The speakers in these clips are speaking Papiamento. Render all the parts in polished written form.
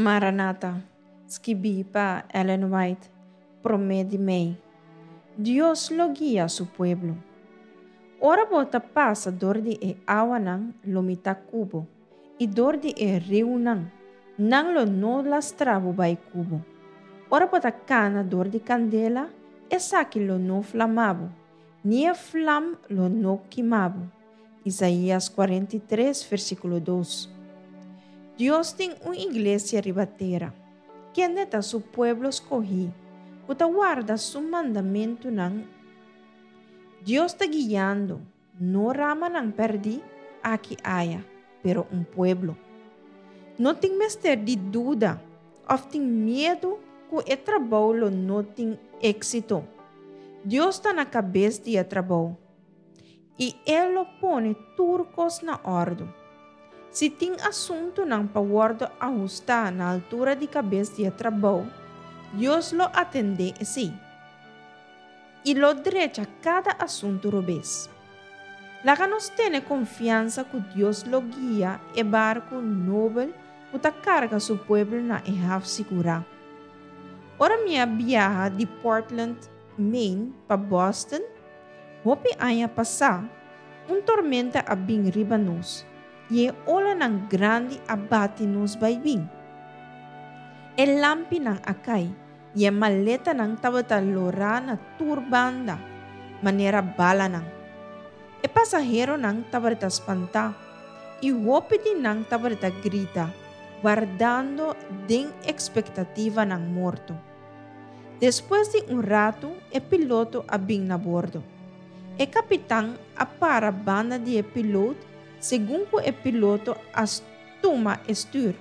Maranata, skibí pa Ellen White, promé di mei. Dios lo guia su pueblo. Ora bo ta pasa dor di e awanan, lo mi ta ku bo, i dor di e riunan, nan lo no lastra bo bai ku bo. Ora bo ta kana dor di kandela, esaki lo no flama bo, ni e flam lo no kima bo. Isaías 43, versíkulo 2. Dios tin un iglesia riba tera, kende ta su pueblo skohí, ku ta warda su mandamentunan. Dios ta guiando, no ramanan pèrdí aki aya, pero un pueblo. No tin mester di duda òf tin miedu ku e trabou lo no tin éksito. Dios ta na kabes di e trabou, i e lo pone tur kos na òrdu. Si tin asuntunan pa wòrdu ahustá na altura di kabes di e trabou, Dios lo atendé esei i lo drecha kada asuntu robes. Laga nos tene konfiansa ku Dios lo guia e barku nobel ku ta karga su pueblo na e haf sigurá. Ora mi a biaha di Portland, Maine pa Boston, hopi aña pasá, un tormenta a bin riba nos i e olanan grandi a bati nos bai bin. E lampinan a kai i e maletanan tabata lorá na tur banda, manera balanan. E pasaheronan tabata spantá i hopi di nan tabata grita, wardando den ekspektativa nan morto. Despues di un ratu e piloto a bin na bordo. E kapitan a para banda di e pilot segun ku e piloto a tuma e stür.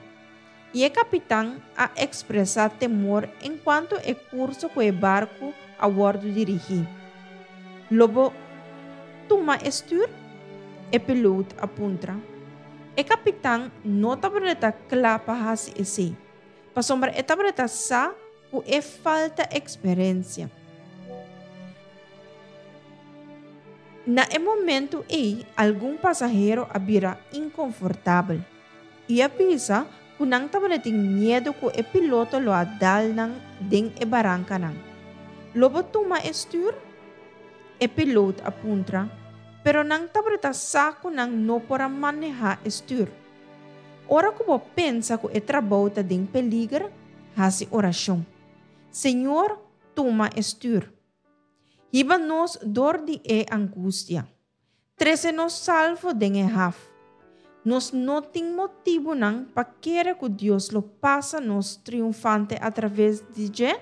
I e kapitan a ekspresá temor enkuanto e kurso ku e barku a wòrdu dirigí. Lo bo tuma e stür? E pilot a puntra. E kapitan no tabata kla pa hasi esei, pasobra e tabata sa ku e falta eksperensia. Na e momentu ei algun pasahero a bira inkonfortabel. I a bisa ku nan tabatin miedu ku e piloto lo a dal nan den e barankanan. Lo bo tuma e stür? E pilot a puntra, pero nan tabata sa ku nan no por a manehá e stür. Ora ku bo pensa ku e trabou ta den peliger, hasi orashon. Señor, tuma e stür. Hiba nos dor di e angustia. Trese nos salvo den e haf. Nos no tin motibunan pa kere ku Dios lo pasa nos triunfante atraves di dje?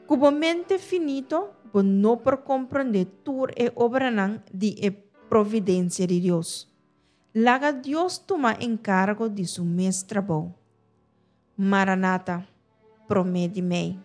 Ku bo mente finito bo no por komprondé tur e obranan di e providensia di Dios. Laga Dios tuma enkargo di su mes trabou. Maranata, promé di mei.